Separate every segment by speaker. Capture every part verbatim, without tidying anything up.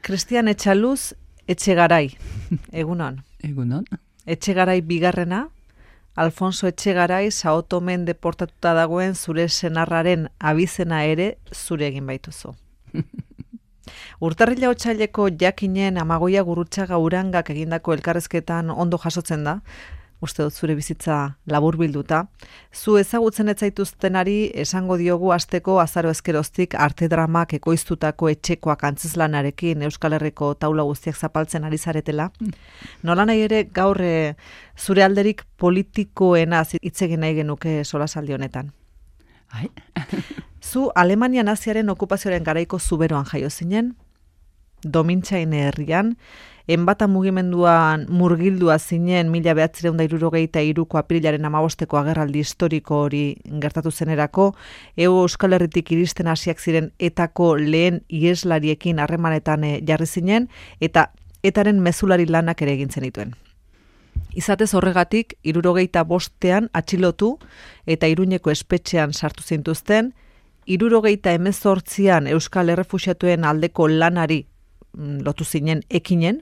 Speaker 1: Cristian Etxaluz, Etxegarai, egunon.
Speaker 2: Egunon.
Speaker 1: Etxegarai bigarrena, Alfonso Etxegarai Sao Tomen deportatuta dagoen zure senarraren abizena ere zure egin baituzu. Urtarrila otsaileko jakinen Amagoia Gurrutxaga Urangak egindako elkarrezketan ondo jasotzen da, uste dut zure bizitza laburbilduta. Zu ezagutzen ez zaituztenari esango diogu asteko azaro ezkeroztik arte dramak ekoiztutako etxekoak antzezlanarekin Euskal Herriko taula guztiak zapaltzen ari zaretela. Nola nahi ere gaur e, zure alderik politikoena hitz egin nahi genuke solasaldi honetan.
Speaker 2: Ai.
Speaker 1: Zu Alemania naziaren okupazioaren garaiko zuberoan jaio zinen, Domintxain herrian, enbata mugimenduan murgildua zinen mila bederatziehun eta hirurogeita hiruko apirilaren hamabosteko agerraldi historiko hori gertatu zenerako, Hego Euskal Herritik iristen hasiak ziren etako lehen iheslariekin harremanetan jarri zinen, eta etaren mezulari lanak ere egin zenituen. Izatez horregatik, hirurogeita bostean atxilotu eta Iruñeko espetxean sartu zintuzten, hirurogeita hemezortzian Euskal Errefuxiatuen aldeko lanari lotu zinen ekinen,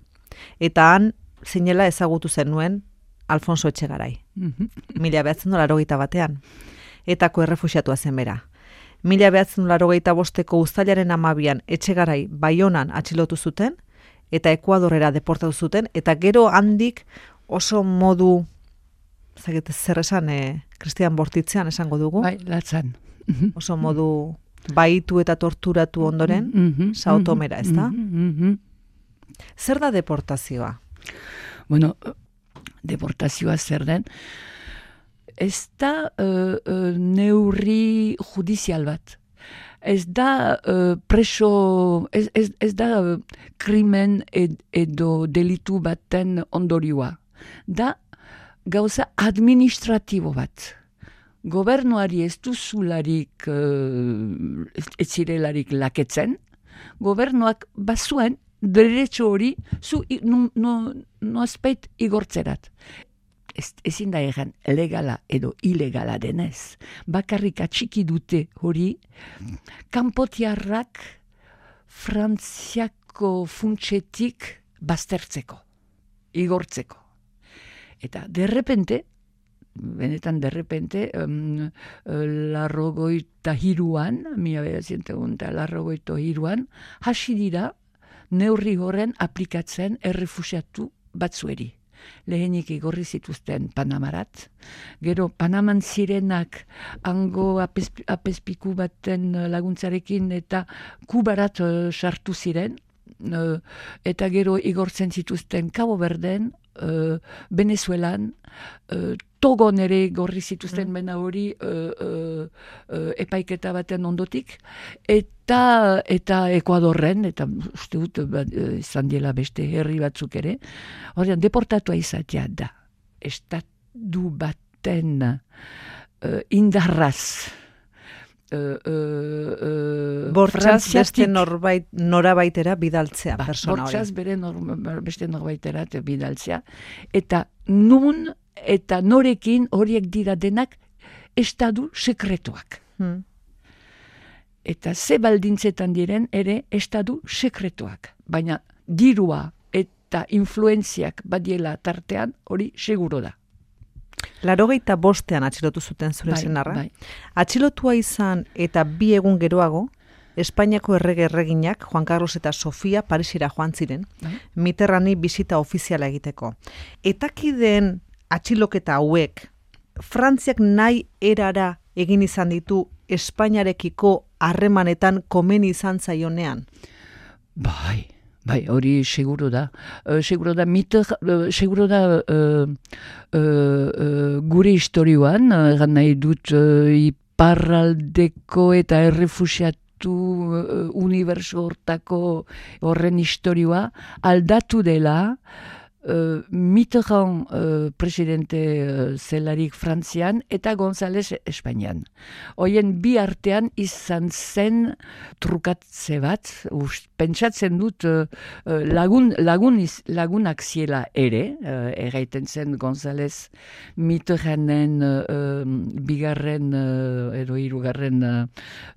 Speaker 1: eta han zinela ezagutu zenuen Alfonso Etxegarai. Mila behatzen laurogeita batean. Etako errefuxiatua zen bera. Mila behatzen laurogeita bosteko uztailaren hamabian Etxegarai Baionan atxilotu zuten, eta Ekuadorrera deportatu zuten, eta gero handik oso modu, zagete zer esan, eh, Kristian Bortitzean esango dugu.
Speaker 2: Bai, latzan.
Speaker 1: Oso modu baitu eta torturatu ondoren, mm-hmm, Sao Tomera, ez da?
Speaker 2: Mm-hmm.
Speaker 1: Zer da deportazioa?
Speaker 2: Bueno, deportazioa zer den, ez da uh, uh, neurri judizial bat. Ez da uh, preso, ez, ez, ez da uh, krimen ed, edo delitu baten ondorioa. Da gauza administratibo bat. Gobernuari ez duzularik uh, ez zirelarik laketzen, gobernuak bazuen derecho hori zu no, no, no azpeit igortzerat. Ez, ezin da egan legala edo ilegala denez. Bakarrik atxiki dute hori, kanpotiarrak Frantziako funtsetik baztertzeko, igortzeko. Eta derrepente, benetan derrepente, um, larrogoita hiruan, mila bederatziehun eta larrogoita hiruan, hasi dira neurri horren aplikatzen errefuxiatu batzueri. Lehenik igorri zituzten Panamarat, gero Panaman zirenak hango apesp, apespiku baten laguntzarekin eta Kubarat uh, sartu ziren, uh, eta gero igortzen zituzten Cabo Verden, uh, Venezuelan, uh, Togon ere gorri zituzten mm. bena hori uh, uh, uh, epaiketa baten ondotik, eta eta Ekuadorren, eta uste dut uh, izan diela beste herri batzuk ere, horrean deportatua izatea da. Estatu baten uh, indarraz, Uh, uh, uh,
Speaker 1: Bortxaz beste norbait, norabaitera bidaltzea, ba, persona hori.
Speaker 2: Bortxaz bere nor, beste norbaitera bidaltzea. Eta nun eta norekin horiek dira denak estadu sekretuak. Hmm. Eta ze baldintzetan diren ere estadu sekretuak. Baina dirua eta influenziak badiela tartean hori seguro da.
Speaker 1: Laurogeita bostean atxilotu zuten zure
Speaker 2: bai,
Speaker 1: senarra.
Speaker 2: Bai.
Speaker 1: Atxilotua izan eta bi egun geroago, Espainiako errege erreginak Juan Carlos eta Sofia Parisera joan ziren, bai. Mitterrandi bisita ofiziala egiteko. Etakideen atxiloketa hauek, Frantziak nahi erara egin izan ditu Espainiarekiko harremanetan komeni izan zaionean?
Speaker 2: Bai. Bai, hori seguro da. Uh, seguro da, mitter, uh, seguro da uh, uh, uh, gure historioan, uh, nahi dut uh, iparraldeko eta errefuxiatu uh, uniberso hortako horren historioa aldatu dela, Uh, Mitterrand uh, presidente uh, zelarik Frantzian eta González Espainian. Hoien bi artean izan zen trukatze bat, ust, pentsatzen dut uh, lagun, lagun iz, lagunak ziela ere, uh, erraiten zen González Mitterranden uh, bigarren uh, edo hirugarren uh,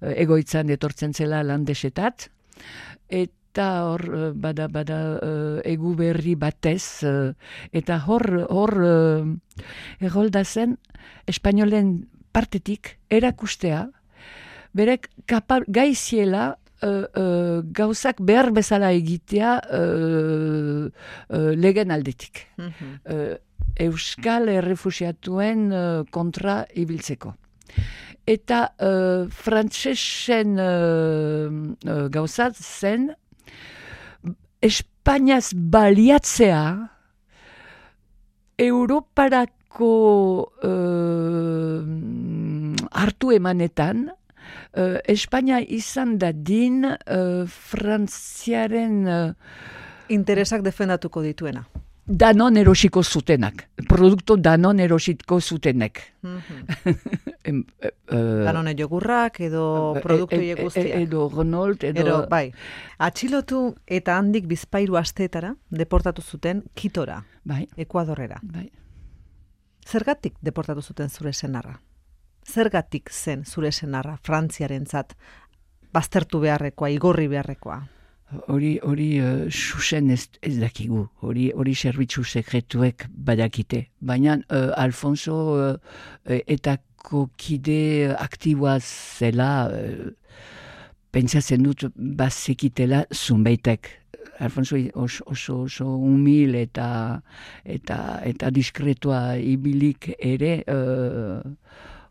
Speaker 2: egoitzan etortzen zela landesetat, eta eta hor uh, bada bada uh, egu berri batez, uh, eta hor, hor uh, errolda zen, espainolen partetik erakustea, berek kapab, gaiziela uh, uh, gauzak behar bezala egitea uh, uh, legen aldetik. Mm-hmm. uh, Euskal errefusiatuen uh, kontra ibiltzeko. Eta uh, frantsesen uh, uh, gauzat zen Espainiaz baliatzea Europarako uh, hartu emanetan, uh, Espainia izan dadin uh, Frantziaren uh,
Speaker 1: interesak defendatuko dituena.
Speaker 2: Danon erosiko zutenak. Produktu danon erosiko zutenek.
Speaker 1: Mm-hmm. Danone jogurrak edo produktu e, e, guztiak.
Speaker 2: Edo Renault, edo...
Speaker 1: edo... Bai. Atxilotu eta handik bizpairu asteetara deportatu zuten Kitora,
Speaker 2: bai.
Speaker 1: Ekuadorrera.
Speaker 2: Bai.
Speaker 1: Zergatik deportatu zuten zure senarra? Zergatik zen zure senarra Frantziarentzat baztertu beharrekoa, igorri beharrekoa?
Speaker 2: Hori hori uh, xuxen ez, ez dakigu, hori hori zerbitzu sekretuek badakite. Baina uh, Alfonso uh, etako kide aktiboa zela, uh, pentsatzen dut bazekitela zunbaitek. Alfonso oso, oso, oso humil eta eta eta diskretua ibilik ere uh,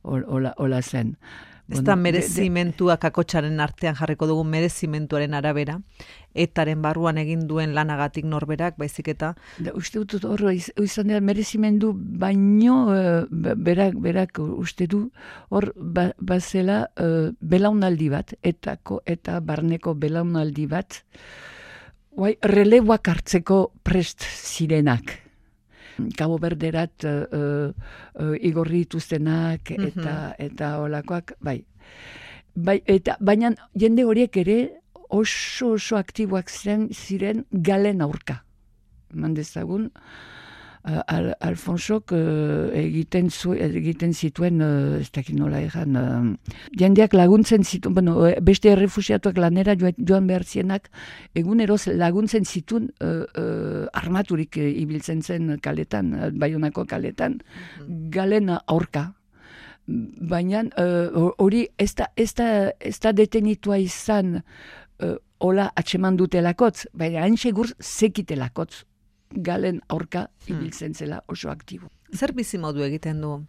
Speaker 2: hola, hola zen.
Speaker 1: Ez da merezimentua kakotxaren artean jarriko dugu merezimentuaren arabera, etaren barruan egin duen lanagatik norberak, baizik eta...
Speaker 2: Da, uste dut horro izan dira merezimendu baino uh, berak, berak uste du hor ba, bazela uh, belaunaldi bat, etako eta barneko belaunaldi bat, guai, releboak hartzeko prest zirenak. Cabo Verderat uh, uh, igorri dituztenak eta mm-hmm. eta holakoak, bai. Bai, eta baina jende horiek ere oso oso aktiboak zen ziren galen aurka. Eman dezagun uh, Al, Alfonsok uh, egiten zu, egiten zituen uh, ez dakit nola egan uh, jendeak laguntzen zituen, bueno, beste errefusiatuak lanera joan behar zienak eguneroz laguntzen zituen uh, uh, armaturik uh, ibiltzen zen kaletan, uh, Baionako kaletan, mm-hmm. galen aurka. Baina hori uh, ez da, ez da, ez da detenitua izan uh, hola atxeman dutelakotz, baina hain segur zekitelakotz galen aurka ibiltzen zela oso aktibo.
Speaker 1: Zer bizimodu egiten du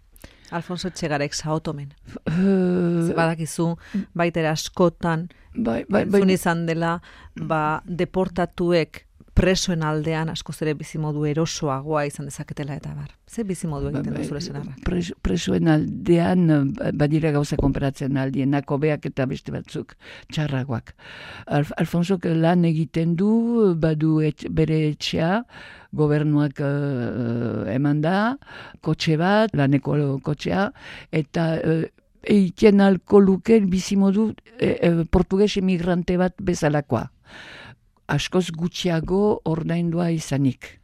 Speaker 1: Alfonso Etxegarek Saotomen? Uh, Badakizu, baitera askotan,
Speaker 2: bai, bai, bai.
Speaker 1: izan dela, ba, deportatuek presoen aldean askoz ere bizimodu erosoagoa izan dezaketela eta bar. Ze bizimodu egiten ba, ba, du zure senarrak?
Speaker 2: Pres, presoen aldean badira gauza konparatzen aldienak hobeak eta beste batzuk txarragoak. Alf, Alfonsok lan egiten du, badu et, bere etxea, gobernuak uh, eman da, kotxe bat, laneko kotxea, eta uh, eiten alko luke bizimodu e, e, portugues emigrante bat bezalakoa. Askoz gutxiago ordaindua izanik.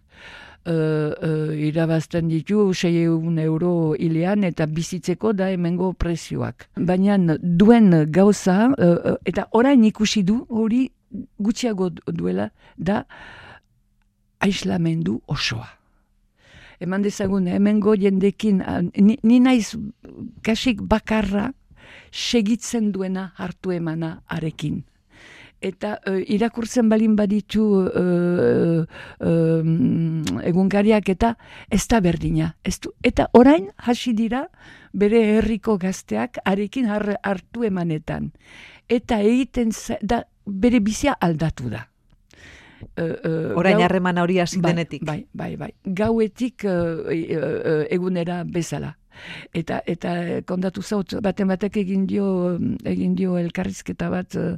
Speaker 2: Uh, uh, irabazten ditu seiehun euro hilean eta bizitzeko da hemengo prezioak. Baina duen gauza, uh, eta orain ikusi du, hori gutxiago duela, da aislamendu osoa. Eman dezagun, hemengo jendekin, ni, ni naiz kasik bakarra segitzen duena hartu emana arekin. Eta uh, irakurtzen balin baditu uh, uh, egunkariak eta ez da berdina. Ez du, eta orain hasi dira bere herriko gazteak arekin har, hartu emanetan. Eta egiten da bere bizia aldatu da. Uh, uh,
Speaker 1: orain harremana hori hasi
Speaker 2: bai,
Speaker 1: denetik.
Speaker 2: Bai, bai, bai. Gauetik uh, uh, egunera bezala. Eta eta kontatu zaut baten batek egin dio egin dio elkarrizketa bat uh,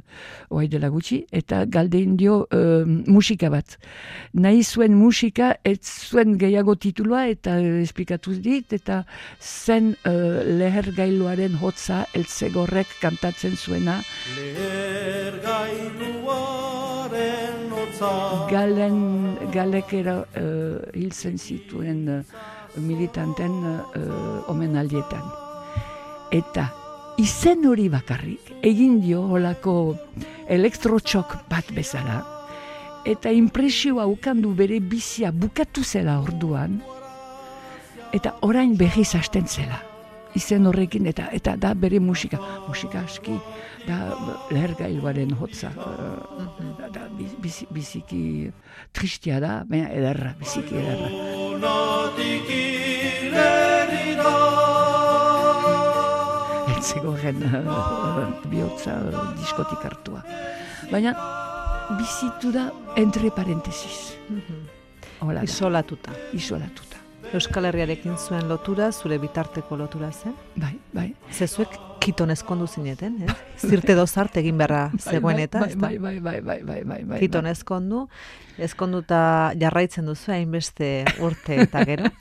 Speaker 2: oai dela gutxi eta galdein dio uh, musika bat. Nahi zuen musika ez zuen gehiago titulua eta uh, esplikatu dit eta zen uh, lehergailuaren hotza eltzegorrek kantatzen zuena. Lehergailuaren hotza Galen galekera uh, hiltzen zituen uh, militanten uh, omenaldietan. Eta izen hori bakarrik egin dio holako elektrotxok bat bezala, eta impresioa ukandu bere bizia bukatu zela orduan, eta orain berriz hasten zela. Izen horrekin, eta eta da bere musika. Musika aski, da lehergailuaren hotza. Uh, da, da biz, biziki tristia da, baina ederra, biziki ederra. Etzegoen uh, bihotza uh, diskotik hartua. Baina bizitu da entre parentesis.
Speaker 1: Mm-hmm. Isolatuta.
Speaker 2: Isolatuta.
Speaker 1: Euskal Herriarekin zuen lotura, zure bitarteko lotura zen?
Speaker 2: Bai, bai.
Speaker 1: Zezuek kiton ezkondu zineten, eh? Zirte dozart egin beharra zegoen eta, ez da?
Speaker 2: Bai, bai, bai, bai, bai, bai, bai.
Speaker 1: Kiton ezkondu, ezkonduta jarraitzen duzu hainbeste urte eta gero.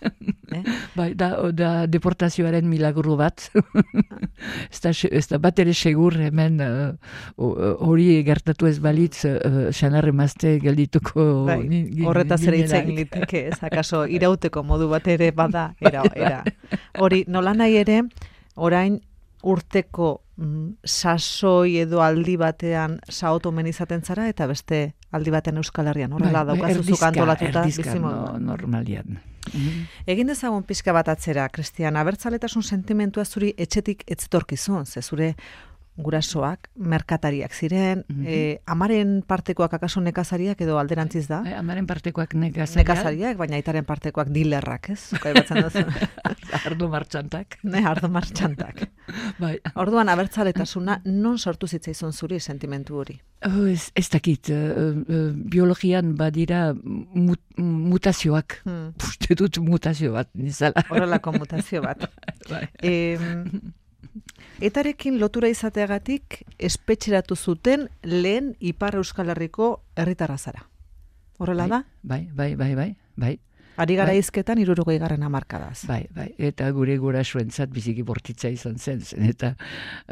Speaker 1: Eh?
Speaker 2: Bai, da, da deportazioaren milagro bat. ez, da, ez da bat ere segur hemen hori uh, gertatu ez balitz uh, xanarre mazte geldituko.
Speaker 1: Bai, horretaz ere itzen liteke, ez akaso irauteko modu bat ere bada, era, era. Hori, nola nahi ere, orain urteko mm, sasoi edo aldi batean saotomen izaten zara, eta beste aldi batean Euskal Herrian. Horrela
Speaker 2: bai,
Speaker 1: daukazuzuk antolatuta
Speaker 2: bizimoduan. No, normalian. Mm-hmm.
Speaker 1: Egin dezagun pixka bat atzera, Kristian, abertzaletasun sentimentua zuri etxetik etzetorkizun, ze zure gurasoak, merkatariak ziren, mm-hmm. eh, amaren partekoak akaso nekazariak edo alderantziz da?
Speaker 2: Eh, amaren partekoak nekazariak.
Speaker 1: Nekazariak, baina aitaren partekoak dilerrak, ez? Zukai batzen duzu.
Speaker 2: Ardo martxantak.
Speaker 1: Ne, ardo martxantak.
Speaker 2: Bai.
Speaker 1: Orduan, abertzaletasuna non sortu zitzaizun zuri sentimentu hori?
Speaker 2: Oh, ez, ez dakit, uh, uh, biologian badira mut, mutazioak, hmm. Puste dut mutazio bat, nizala.
Speaker 1: Horrelako mutazio bat. Bai. E, etarekin lotura izateagatik espetxeratu zuten lehen Ipar Euskal Herriko herritarra zara. Horrela da?
Speaker 2: Bai, bai, bai, bai, bai.
Speaker 1: Ari gara bai. Izketan hirurogei garren hamarkadaz.
Speaker 2: Bai, bai, eta gure gurasoentzat biziki bortitza izan zen, zen eta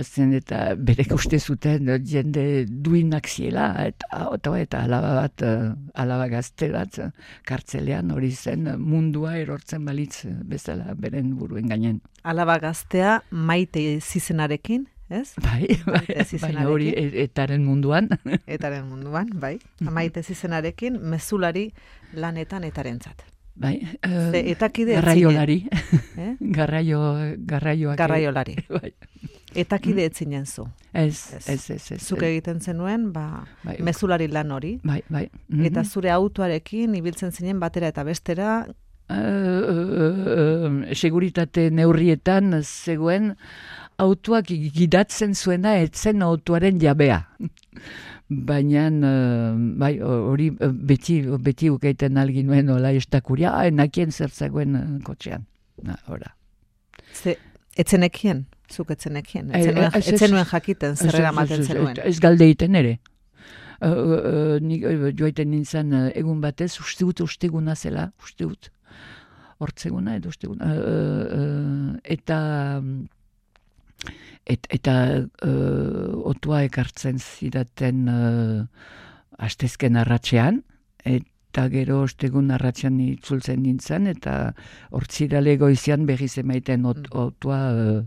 Speaker 2: zen eta berek uste zuten jende duinak ziela, eta eta, eta alaba bat, alaba gazte bat kartzelean hori zen mundua erortzen balitz bezala beren buruen gainen.
Speaker 1: Alaba gaztea Maite Zizenarekin, ez?
Speaker 2: Bai, bai, bai hori etaren munduan. Etaren
Speaker 1: munduan, bai. Maite Zizenarekin mezulari lanetan etarentzat.
Speaker 2: Bai, uh,
Speaker 1: etakide
Speaker 2: garraiolari, eh? Garraio, garraioak.
Speaker 1: Garraiolari.
Speaker 2: Bai.
Speaker 1: Etakide etzinen zu.
Speaker 2: Ez, ez, ez. ez
Speaker 1: Zuk egiten zenuen, ba, bai, mezulari lan hori.
Speaker 2: Bai, bai. Mm-hmm.
Speaker 1: Eta zure autoarekin ibiltzen zinen batera eta bestera.
Speaker 2: Uh, uh, uh, seguritate neurrietan zegoen autoak gidatzen zuena etzen autoaren jabea. Baina, uh, bai, hori beti, beti ukeiten algin nuen hola estakuria, enakien zertzagoen uh, kotxean. Na, ora.
Speaker 1: Ze, etzenekien? Zuk etzenekien? Etzenuen jakiten, zerrera maten zenuen?
Speaker 2: Ez galdeiten ere. Uh, uh, nik, uh, joaiten nintzen uh, egun batez, uste dut usteguna zela, uste dut. Hortzeguna edo usteguna. Uh, uh, eta... Et, eta uh, otua ekartzen zidaten uh, astezken arratsean, eta gero ostegun arratsean itzultzen nintzen, eta hortzirale goizian berriz emaiten ot, otua uh,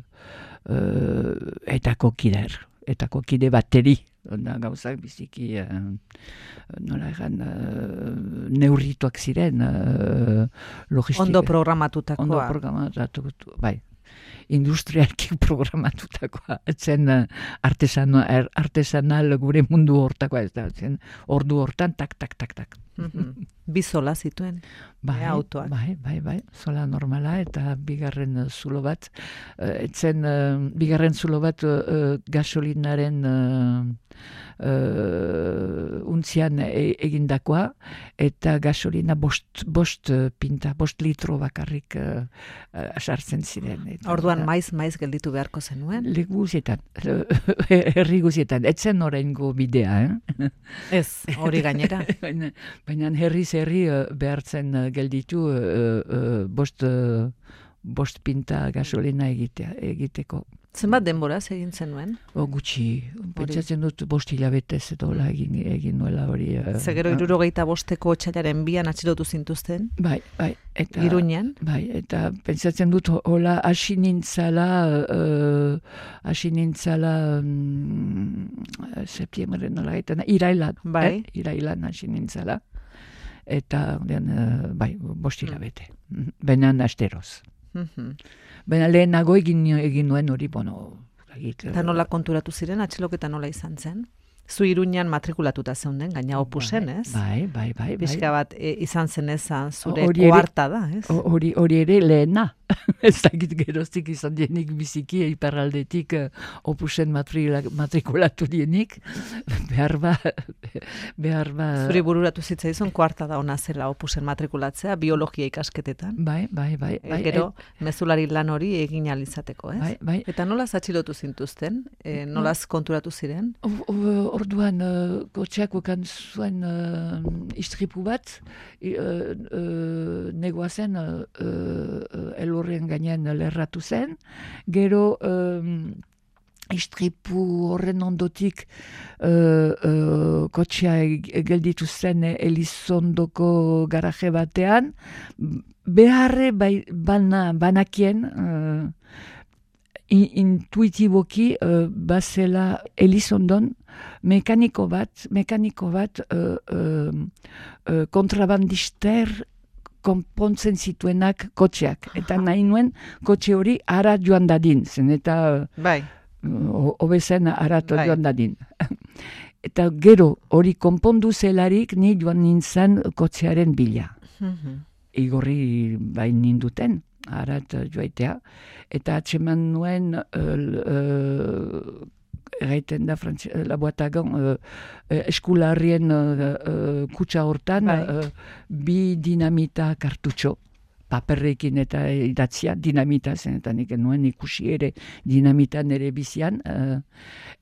Speaker 2: uh, eta kokider, eta kokide bateri. Da, gauzak biziki uh, nola egan uh, neurrituak ziren uh, logistika.
Speaker 1: Ondo programatutakoa.
Speaker 2: Ondo programatutakoa, bai. Industrialki programatutakoa, etzen artesanal, artesanal gure mundu hortakoa, ez da, zen ordu hortan, tak, tak, tak, tak.
Speaker 1: Mm-hmm. Bi zola zituen,
Speaker 2: bai,
Speaker 1: e, autoak.
Speaker 2: Bai, bai, bai, zola normala, eta bigarren zulo bat, etzen uh, bigarren zulo bat uh, gasolinaren uh, uh, untzian e, egindakoa, eta gasolina bost, bost pinta, bost litro bakarrik uh, uh, sartzen ziren. Eta,
Speaker 1: orduan maiz, maiz gelditu beharko zenuen?
Speaker 2: Leku guzietan, herri guzietan, etzen oraingo bidea, eh?
Speaker 1: Ez, hori gainera.
Speaker 2: Baina herriz herri uh, behartzen uh, gelditu uh, uh, bost, uh, bost pinta gasolina egitea, egiteko.
Speaker 1: Zenbat denbora egin zenuen?
Speaker 2: O, gutxi, pentsatzen dut bost hilabetez edo hola egin, egin nuela hori. Uh,
Speaker 1: Zegero hirurogeita bosteko otsailaren bian atxilotu zintuzten?
Speaker 2: Bai, bai. Eta,
Speaker 1: Iruñan?
Speaker 2: Bai, eta pentsatzen dut hola hasi nintzala, uh, hasi nintzala um, septiembre nola gaitana, irailan.
Speaker 1: Bai.
Speaker 2: Eh? Irailan hasi nintzala. Eta, den, uh, bai, bost hilabete. Mm. Benan asteroz.
Speaker 1: Mm-hmm.
Speaker 2: Baina lehenago egin, egin nuen hori, bueno...
Speaker 1: Eta nola konturatu ziren, atxiloketa nola izan zen? Zu Iruñan matrikulatuta zeunden, gaina opusen, ez?
Speaker 2: Bai, bai, bai.
Speaker 1: Bizka bat e, izan zen ezan zure
Speaker 2: Hori ere-
Speaker 1: koarta da, ez?
Speaker 2: Hori hori ere lehena. Ez dakit geroztik izan dienik biziki iparraldetik uh, opusen matrila, matrikulatu dienik. Behar ba... Behar ba...
Speaker 1: Zuri bururatu zitzaizun koarta da ona zela opusen matrikulatzea, biologia ikasketetan.
Speaker 2: Bai, bai, bai. bai
Speaker 1: Gero, mezulari lan hori egin ahal izateko, ez?
Speaker 2: Bai, bai.
Speaker 1: Eta nolaz atxilotu zintuzten? E, nolaz konturatu ziren?
Speaker 2: O- o- Orduan, uh, kotxeak ukan zuen uh, istripu bat, i- uh, uh, negoazen uh, uh, elurren gainean lerratu zen, gero um, istripu horren ondotik uh, uh, kotxea gelditu zen Elizondoko garaje batean, beharre bai, bana, banakien, uh, in, intuitiboki uh, bazela Elizondon mekaniko bat, mekaniko bat uh, uh, uh, kontrabandister konpontzen zituenak kotxeak. Eta nahi nuen kotxe hori ara joan dadin, zen eta
Speaker 1: Bai.
Speaker 2: hobezen arat
Speaker 1: Bai.
Speaker 2: joan dadin. Eta gero hori konpondu zelarik ni joan nintzen kotxearen bila.
Speaker 1: Mhm.
Speaker 2: Igorri bain ninduten, arat joaitea. Eta atseman nuen uh, uh, erraiten da frantz, laboatagon uh, uh, eskularrien uh, uh, kutsa hortan
Speaker 1: Bai.
Speaker 2: uh, bi dinamita kartutxo paperrekin eta idatzia dinamita zen, eta nik nuen ikusi ere dinamita nere bizian, uh,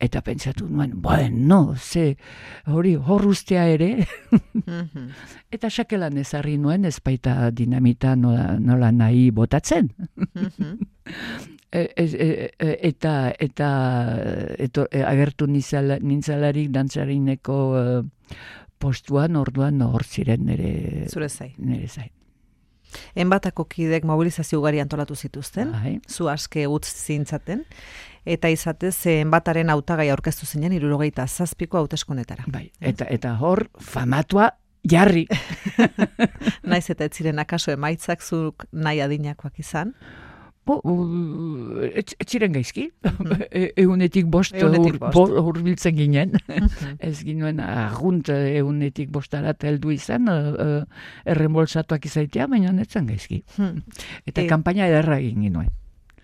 Speaker 2: eta pentsatu nuen, bueno, ze hori hor ustea ere,
Speaker 1: Mhm.
Speaker 2: eta sakelan ezarri nuen ez baita dinamita nola, nola nahi botatzen.
Speaker 1: Mhm.
Speaker 2: E, e, e, e, eta eta eto, e, agertu nizala, nintzalarik dantzarineko uh, postuan, orduan hor ziren nire,
Speaker 1: Zure zai.
Speaker 2: nire zain.
Speaker 1: Enbatako kidek mobilizazio ugari antolatu zituzten,
Speaker 2: Bai.
Speaker 1: zu aske utz zintzaten, eta izatez enbataren hautagai aurkeztu zinen hirurogeita zazpiko hauteskundetara.
Speaker 2: Bai. Eta, eta hor famatua jarri.
Speaker 1: Naiz eta ez ziren akaso emaitzak zuk nahi adinakoak izan.
Speaker 2: Bo, uh, ez, ez ziren gaizki. E- Egunetik bost
Speaker 1: Egunetik
Speaker 2: hur-
Speaker 1: bost.
Speaker 2: bo- hurbiltzen ginen. Ez ginen argunt egunetik bostarat heldu izan, uh, uh, errembolsatuak izaitea, baina ez zen gaizki.
Speaker 1: Hmm.
Speaker 2: Eta
Speaker 1: E-
Speaker 2: kanpaina ederra egin ginuen.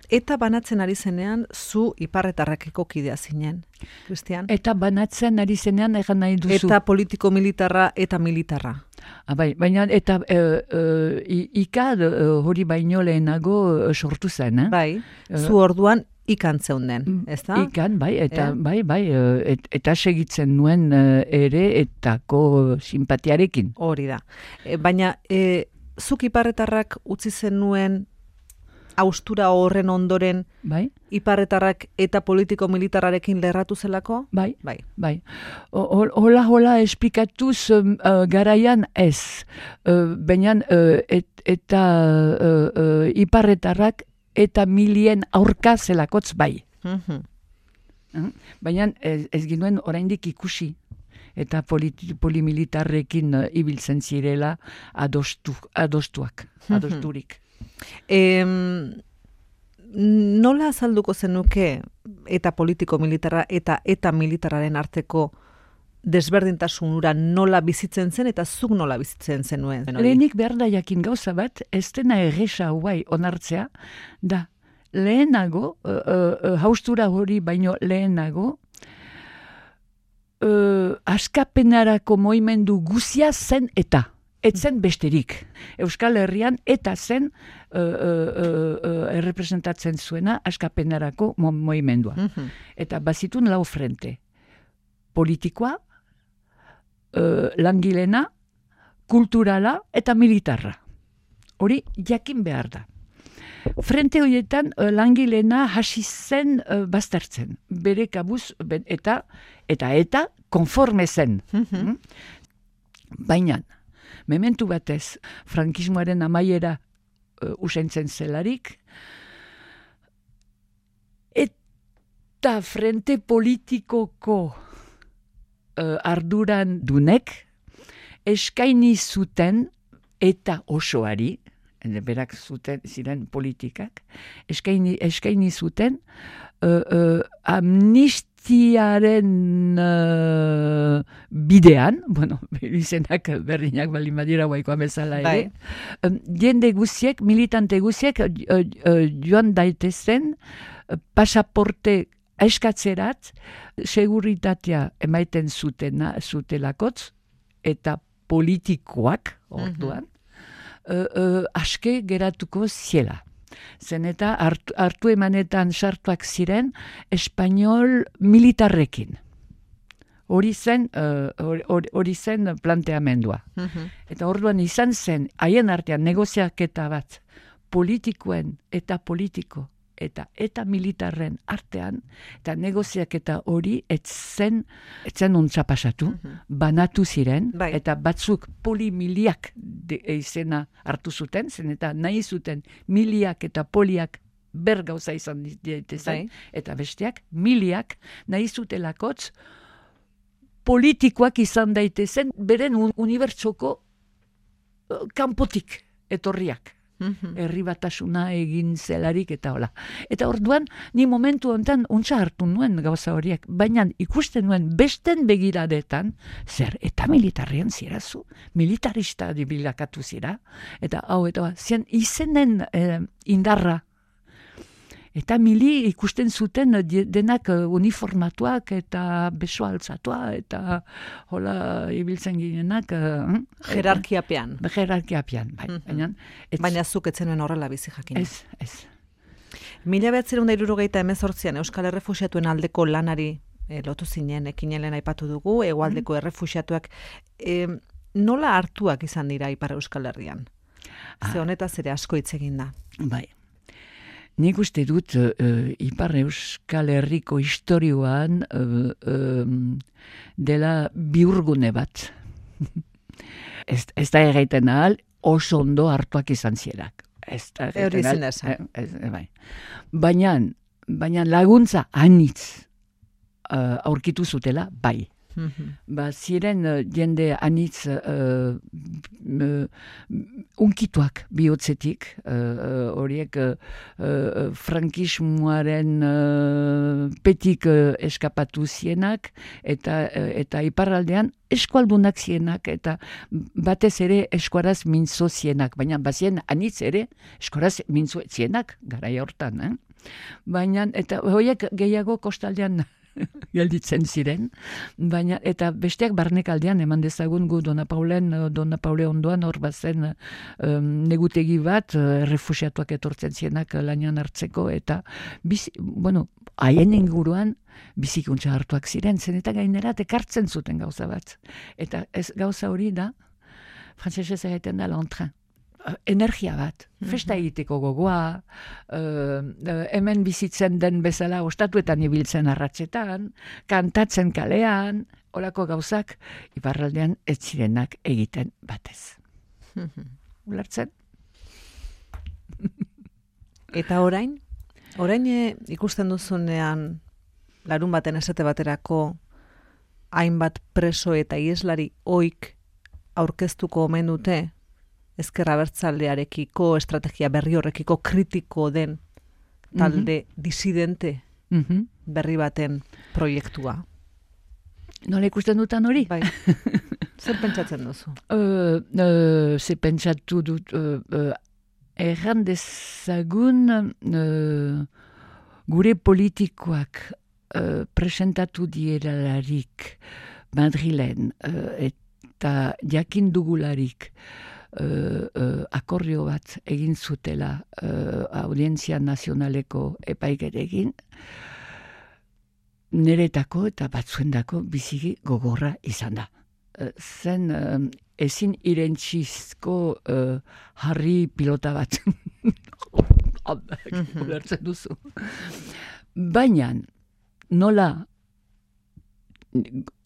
Speaker 1: Eta banatzen ari zenean, zu iparretarrakeko kidea zinen, Christian?
Speaker 2: Eta banatzen ari zenean egan nahi duzu.
Speaker 1: Eta politiko militarra eta militarra.
Speaker 2: Ah, bai, baina eta e, e, ikad e, hori baino lehenago e, sortu zen, eh?
Speaker 1: Bai, zu orduan ikan zeunden, ez da?
Speaker 2: Ikan, bai, eta
Speaker 1: Eh?
Speaker 2: bai, bai, e, et, eta segitzen nuen e, ere etako simpatiarekin.
Speaker 1: Hori da. E, baina, e, zuk iparretarrak utzi zenuen austura horren ondoren
Speaker 2: Bai,
Speaker 1: iparretarrak eta politiko militarrarekin lerratu zelako?
Speaker 2: bai,
Speaker 1: Bai.
Speaker 2: bai. O- hol- Hola, hola, esplikatuz um, uh, garaian ez. Uh, baina uh, et, eta uh, uh, iparretarrak eta milien aurka zelakotz bai.
Speaker 1: Mhm.
Speaker 2: Mm. Baina ez, ez ginuen oraindik ikusi. Eta politi, polimilitarrekin uh, ibiltzen zirela adostu, adostuak, adosturik.
Speaker 1: Em, nola azalduko zenuke eta politiko militarra eta eta militarraren arteko desberdintasunura nola bizitzen zen eta zuk nola bizitzen zenuen?
Speaker 2: Lehenik behar da jakin gauza bat, ez dena erresa guai onartzea, da lehenago, uh, uh, haustura hori baino lehenago, uh, askapenarako moimendu guzia zen eta. Etzen besterik. Euskal Herrian eta zen uh, uh, uh, errepresentatzen zuena askapenarako mo moimendua.
Speaker 1: Mhm.
Speaker 2: Eta bazitun lau frente. Politikoa, uh, langilena, kulturala eta militarra. Hori jakin behar da. frente horietan uh, langileena hasi zen uh, baztertzen. Bere kabuz, ben, eta, eta, eta, konforme zen. Mm-hmm. Baina, mementu batez, frankismoaren amaiera uh, usaintzen zelarik, eta frente politikoko uh, arduran dunek, eskaini zuten eta osoari, berak zuten ziren politikak, eskaini, eskaini zuten uh, uh, amnistiaren uh, bidean, bueno, izenak berdinak bali madira guaiko amezala ere, um, jende guziek, militante guziek uh, uh, joan daitezen uh, pasaporte eskatzerat, seguritatea emaiten zutena, zutelakotz, eta politikoak, orduan, mm-hmm. uh, uh, aske geratuko ziela. Zen eta hartu, hartu emanetan sartuak ziren espanol militarrekin. Hori zen, uh, hori, hori zen planteamendua. Mm-hmm. Eta orduan izan zen, haien artean negoziaketa bat, politikoen eta politiko, eta eta militarren artean, eta negoziaketa hori etzen, etzen ontsa pasatu, mm-hmm. banatu ziren, bai. Eta batzuk polimiliak de, izena hartu zuten, zen eta nahi zuten miliak eta poliak ber gauza izan ditezen, bai. Eta besteak miliak nahi zutelakotz politikoak izan daitezen, beren unibertsoko uh, kanpotik etorriak. Mm-hmm. Herri batasuna egin zelarik eta hola. Eta orduan, ni momentu honetan untsa hartu nuen gauza horiek, baina ikusten nuen besten begiradetan, zer, eta militarrian zirazu, militarista dibilakatu zira, eta hau, eta zien izenen eh, indarra. Eta mili ikusten zuten denak uniformatuak eta beso altzatua eta hola ibiltzen ginenak. Uh,
Speaker 1: Jerarkiapean.
Speaker 2: Jerarkiapean, bai. Mm-hmm. Baina,
Speaker 1: ez, Baina zuk etzenuen horrela bizi jakin.
Speaker 2: Ez, ez.
Speaker 1: Mila behatzerun da hirurogeita hemezortzian Euskal Errefuxiatuen aldeko lanari e, lotu zinen, ekinelen aipatu dugu, hegoaldeko mm-hmm. errefuxiatuak. E, nola hartuak izan dira Ipar Euskal Herrian? Ah. Ze honetaz ere asko hitz egin da.
Speaker 2: Bai. Nik uste dut uh, Ipar Euskal Herriko historioan uh, um, dela biurgune bat. ez, ez da egiten ahal, oso ondo hartuak izan zierak. Ez da egiten ahal. Bai. Baina, baina laguntza anitz uh, aurkitu zutela, bai. Mm-hmm. Ba, ziren uh, jende anitz uh, uh, unkituak bihotzetik, horiek uh, uh, uh, frankismoaren uh, petik uh, eskapatu zienak, eta, uh, eta iparraldean eskualdunak zienak, eta batez ere eskuaraz mintzo zienak, baina bazien anitz ere eskuaraz mintzo zienak, garai hortan. Eh? Baina, eta horiek gehiago kostaldean gelditzen ziren, baina eta besteak barnekaldean eman dezagun gu Dona Paulen, Dona Paule ondoan hor bazen um, negutegi bat, errefuxiatuak etortzen zienak lanian hartzeko, eta bizi, bueno, haien inguruan bizikuntza hartuak ziren, zen eta gainera ekartzen zuten gauza bat. Eta ez gauza hori da, frantsesez egiten da l'entrain. Energia bat, festa egiteko gogoa, uh, hemen bizitzen den bezala ostatuetan ibiltzen arratsetan, kantatzen kalean, horako gauzak, iparraldean ez zirenak egiten batez. Ulertzen?
Speaker 1: Eta orain? Orain e, ikusten duzunean larun baten esate baterako hainbat preso eta ieslari oik aurkeztuko omen dute, ezker abertzalearekiko, estrategia berri horrekiko kritiko den talde mm-hmm. disidente mm-hmm. berri baten proiektua.
Speaker 2: Nola ikusten dutan hori?
Speaker 1: Bai. Zer pentsatzen duzu?
Speaker 2: Uh, uh, Zer pentsatu dut, uh, uh, erran dezagun uh, gure politikoak uh, presentatu dieralarik Madrilen uh, eta jakin dugularik Uh, uh, akordio bat egin zutela uh, Audientzia Nazionaleko epaikerekin, niretako eta batzuendako biziki gogorra izan da. Uh, zen uh, ezin irentsizko uh, harri pilota bat. ulertzen duzu. Baina, nola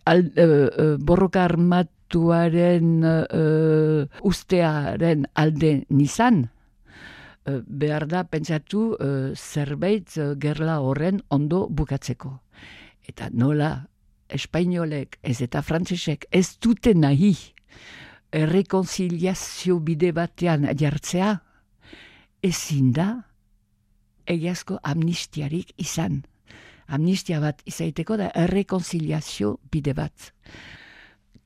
Speaker 2: al, uh, uh, borroka armatuaren uh, ustearen alde nizan, uh, behar da pentsatu uh, zerbait uh, gerla horren ondo bukatzeko. Eta nola espainolek ez eta frantsesek ez dute nahi errekonziliazio bide batean jartzea, ezin da egiazko amnistiarik izan. Amnistia bat izaiteko da errekonziliazio bide bat.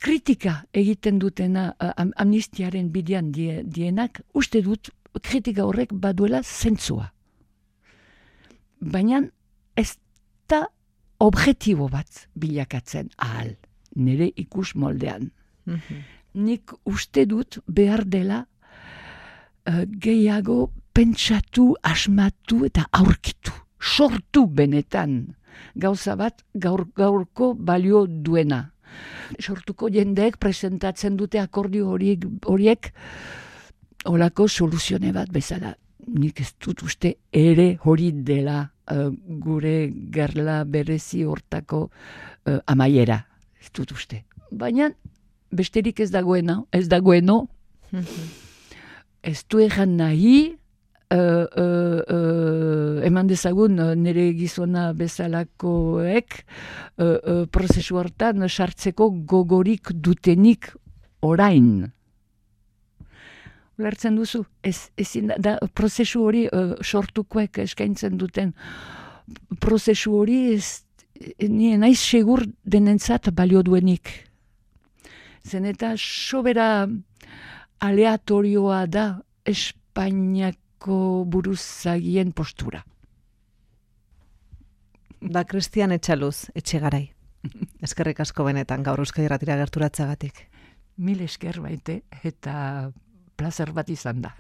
Speaker 2: Kritika egiten dutena am, amnistiaren bidean die, dienak, uste dut kritika horrek baduela zentzua. Baina ez da objektibo bat bilakatzen ahal, nire ikus moldean. Mm-hmm. Nik uste dut behar dela uh, gehiago pentsatu, asmatu eta aurkitu. Sortu benetan gauza bat gaur, gaurko balio duena. Sortuko jendeek presentatzen dute akordio horiek, horiek olako soluzione bat bezala. Nik ez dut uste ere hori dela uh, gure gerla berezi hortako uh, amaiera. Ez dut uste. Baina besterik ez dagoena, ez dagoeno, ez du egan nahi, Uh, uh, uh, eman dezagun uh, nire gizona bezalakoek uh, uh, prozesu hortan sartzeko gogorik dutenik orain. Ulertzen duzu, ez, ezin da, da prozesu hori uh, sortukoek eskaintzen duten prozesu hori ez, nire naiz segur denentzat balio duenik. Zen eta sobera aleatorioa da Espainiak buruzagien postura.
Speaker 1: Da Cristian Etxaluz, Etxegarai. Eskerrik asko benetan gaur Euskadi Irratira gerturatzagatik.
Speaker 2: Mil esker baite eta plazer bat izan da.